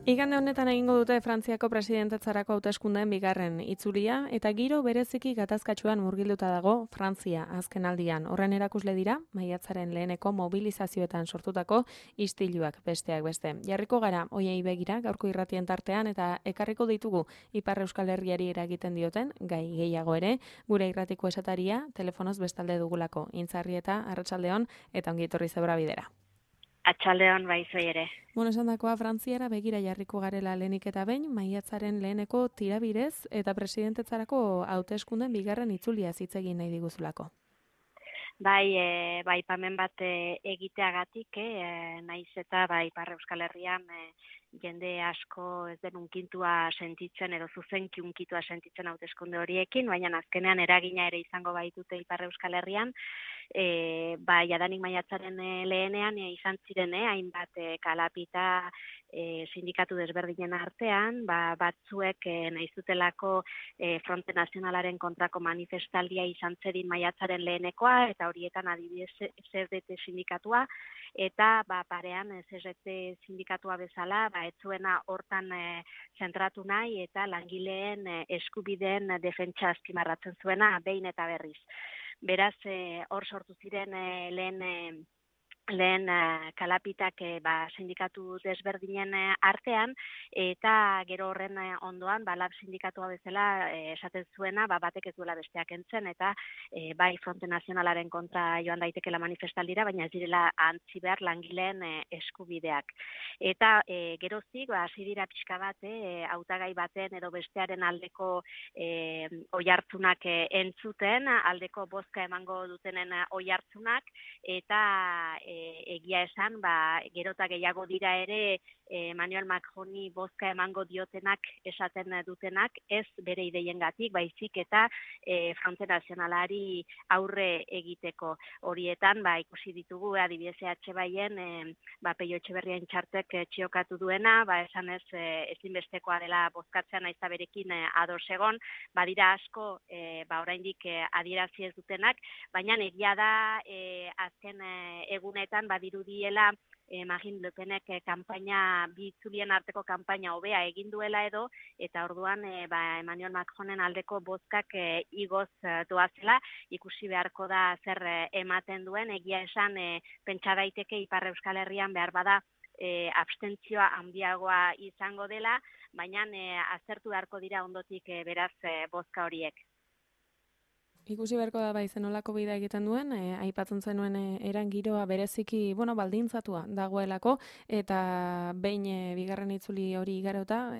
Igande honetan egingo dute Frantziako presidentetzarako hauteskundeen bigarren itzulia eta giro bereziki gatazkatsuan murgilduta dago Frantzia azken aldian. Horren erakusle dira maiatzaren leheneko mobilizazioetan sortutako istiluak besteak beste. Jarriko gara hoiei begira gaurko irratien tartean eta ekarriko ditugu Ipar Euskal Herriari eragiten dioten gai gehiago ere gure irratiko esataria telefonoz bestalde dugulako. Intzarrieta arratsaldeon eta ongi etorri Zebra bidera. Atxaldeon baizoi ere. Esandakoa Frantziara begira jarriko garela lehenik eta behin, maiatzaren leheneko tirabirez eta presidentetzarako hauteskunden bigarren itzulia hitz egin nahi diguzulako. Bai, pamen bat egiteagatik, naiz eta Ipar Euskal Herrian jende asko ez den unkintua sentitzen edo zuzenki unkitua sentitzen hauteskunde horiekin, baina azkenean eragina ere izango baitute Ipar Euskal Herrian, jadanik maiatzaren lehenean izan ziren hainbat kalapita sindikatu desberdinen artean, batzuek nahi zutelako Fronte Nazionalaren kontrako manifestaldia izan zedin maiatzaren lehenekoa, eta horietan adibidez CSDT sindikatua, eta parean CSDT sindikatua bezala, ez zuena hortan zentratu nahi eta langileen eskubideen defentsa azpimarratzen zuena behin eta berriz. Beraz, hor sortu ziren lehen kalapitak sindikatu desberdinen artean, eta gero horren ondoan lab sindikatua bezala esaten zuena batek ez duela besteak entzen, eta bai Fronte Nazionalaren kontra joan daitekela manifestaldira, baina ez direla antzi behar langileen eskubideak. Eta gerozik, hasi dira pixka bat, hautagai baten edo bestearen aldeko oihartzunak entzuten, aldeko bozka emango dutenen oihartzunak, eta egia esan, gero eta gehiago dira ere Emmanuel Macroni bozka emango diotenak esaten dutenak, ez bere ideiengatik, baizik eta Fronte Nazionalari aurre egiteko. Horietan, ikusi ditugu, adibidez Baien, Peio Etxeberrian txartek txiokatu duena, esan ez ezinbestekoa dela bozkatzea naiz eta berekin ados egon, badira asko oraindik adierazi ez dutenak, baina egia da azken egunetan badirudiela Marine Le Penek bi itzulien arteko kanpaina hobea egin duela edo, eta orduan Emmanuel Macronen aldeko bozkak igoz doazela, ikusi beharko da zer ematen duen, egia esan pentsa daiteke Ipar Euskal Herrian behar bada abstentzioa handiagoa izango dela, baina aztertu beharko dira ondotik beraz bozka horiek. Ikusi beharko da zenolako bidea egiten duen, aipatzen zenuen eran giroa bereziki, baldintzatua dagoelako, eta behin bigarren itzuli hori igarota,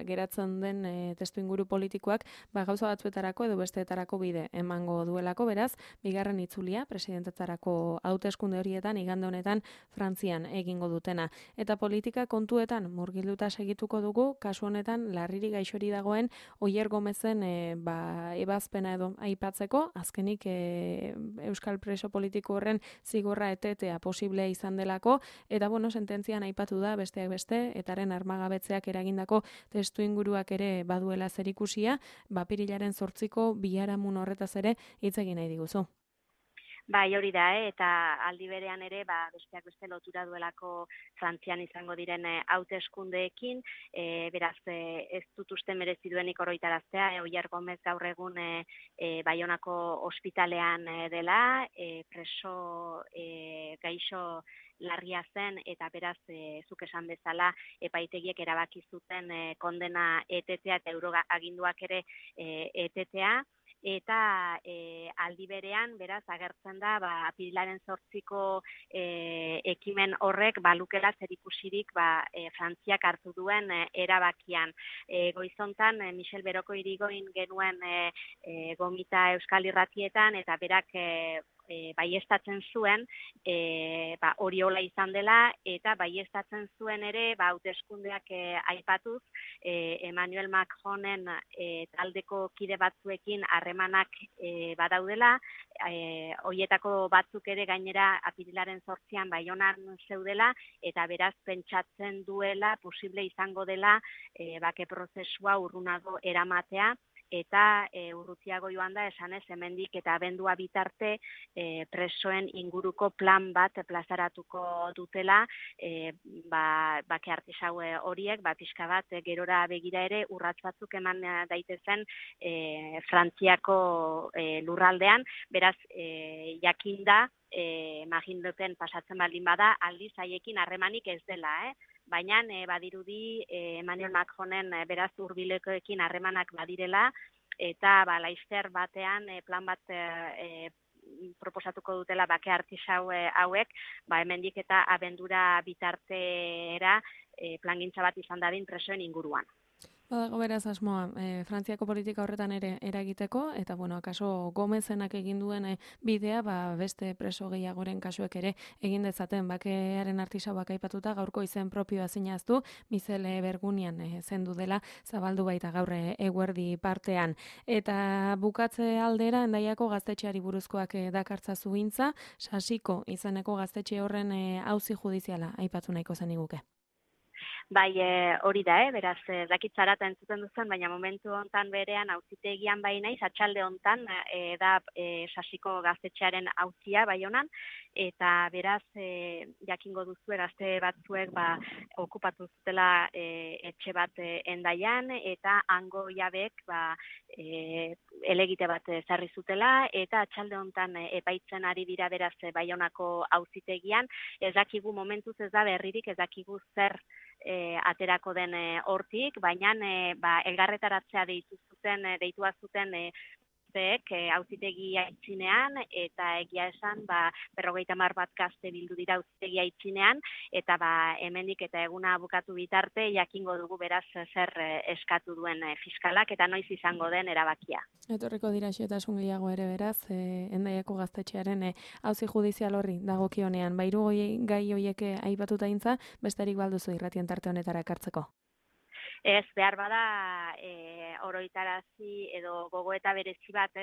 geratzen den testuinguru politikoak, gauza batzuetarako edo besteetarako bide emango duelako, beraz, bigarren itzulia, presidentetzarako hauteskunde horietan, igande honetan, Frantzian egingo dutena. Eta politika kontuetan murgilduta segituko dugu, kasu honetan, larriri gaixori dagoen, Oier Gomezen ebazpena edo aipatzen azkenik Euskal preso politiko horren zigorra etetea posiblea izan delako, eta sententzian aipatu da besteak beste, etaren armagabetzeak eragindako testuinguruak ere baduela zerikusia, apirilaren 8ko biharamun horretaz ere hitz egin nahi diguzu. Hori da, eta aldi berean ere, besteak beste lotura duelako Frantzian izango diren hauteskundeekin, beraz, ez dut uste merezi duenik oroitaraztea, Oier Gomez gaur egun Baionako ospitalean dela, preso gaixo larria zen, eta beraz, zuk esan bezala, epaitegiek erabaki zuten kondena etetea eta euroaginduak ere etetea, eta aldi berean, beraz, agertzen da, apirilaren 8ko ekimen horrek balukela zerikusirik Frantziak hartu duen erabakian. Goizontan, Michel Beroko irigoin genuen gomita Euskal Irratietan, eta berak baiestatzen zuen, hori hola izan dela, eta baiestatzen zuen ere, hauteskundeak aipatuz, Emmanuel Macronen taldeko kide batzuekin harremanak badaudela, horietako batzuk ere gainera apirilaren 8an Baionan zeudela, eta beraz pentsatzen duela posible izango dela bake prozesua urrunago eramatea, eta urrutiago joan da esanez hemendik eta abendua bitarte presoen inguruko plan bat plazaratuko dutela, bake artisau horiek, pixka bat gerora begira ere urrats batzuk eman daitezen Frantziako lurraldean, beraz jakinda Marine Le Pen pasatzen baldin bada, aldiz haiekin harremanik ez dela, baina badirudi Emmanuel Macronen beraz hurbilekoekin harremanak badirela, eta laster batean plan bat proposatuko dutela bake artisau hauek, hemendik eta abendura bitartera plangintza bat izan dadin presoen inguruan. Badago beraz asmoa, Frantziako politika horretan ere eragiteko, eta akaso Gomezenak egin duen bidea, beste preso gehiagoren kasuek ere egin dezaten bakearen artisauak aipatuta, gaurko izen propioa zinaztu, Michel Bergunian zendu dela, zabaldu baita gaur eguerdi partean. Eta bukatze aldera, Hendaiako gaztetxeari buruzkoak dakartza zugintza, Sasiko izeneko gaztetxe horren auzi judiziala aipatu nahiko zeniguke. Bai, hori da, beraz, dakitzara eta entzuten duzen, baina momentu hontan berean auzitegian bai naiz, atxalde hontan da Sasiko gaztetxearen auzia bai honan, eta beraz, jakingo duzu gazte batzuek okupatu zutela etxe bat Hendaian, eta hango jabek elegite bat zarri zutela, eta atxalde hontan epaitzen ari dira beraz Baionako auzitegian, ez dakigu momentuz ez da berririk, ez dakigu zer aterako den hortik, baina elgarretaratzea deitua zuten auzitegi aitzinean, eta egia esan 50 bat gazte bildu dira auzitegi aitzinean, eta hemendik eta eguna bukatu bitarte jakingo dugu beraz zer eskatu duen fiskalak eta noiz izango den erabakia. Etorriko dira xehetasun gehiago ere beraz, Hendaiako gaztetxearen auzi judizial horri dagokionean, hiru gai horiek aipatuta intza, besterik balduzu irratien tarte honetara ekartzeko. Ez, behar bada oroitarazi edo gogoeta berezi bat,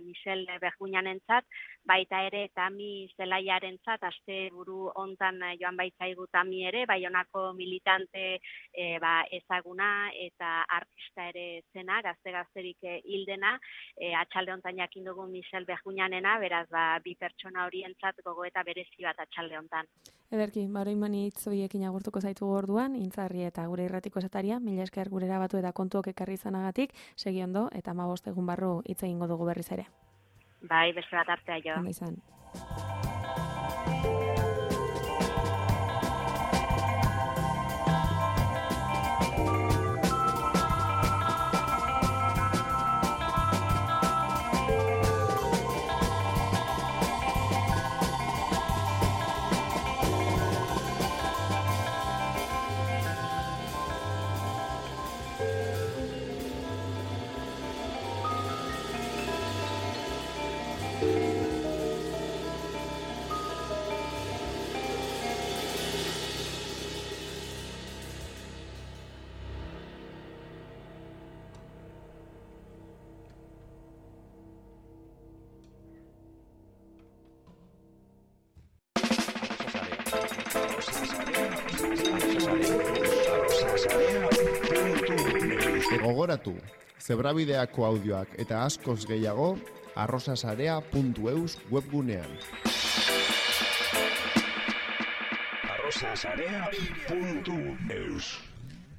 Michel Bergunianentzat, baita ere Tami Zelaiarentzat, asteburu hontan joan baitzaigu Tami ere, Baionako militante ezaguna eta artista ere zena, gazterik hildena, atxalde hontan jakin dugu Michel Bergunianena, beraz bi pertsona horientzat gogoeta berezi bat atxalde hontan. Ederki, orain hitz horiekin agurtuko zaitu orduan, Intzarri eta gure irratiko esataria, mila esker gurera batu eta kontuok ekarri izanagatik, segi ondo eta 15 egun barru hitz egingo dugu berriz ere. Bai, beste bat artea jo. Ondo izan. Gogoratu, Zebrabideako audioak eta askoz gehiago arrosasarea.eus webgunean. arrosasarea.eus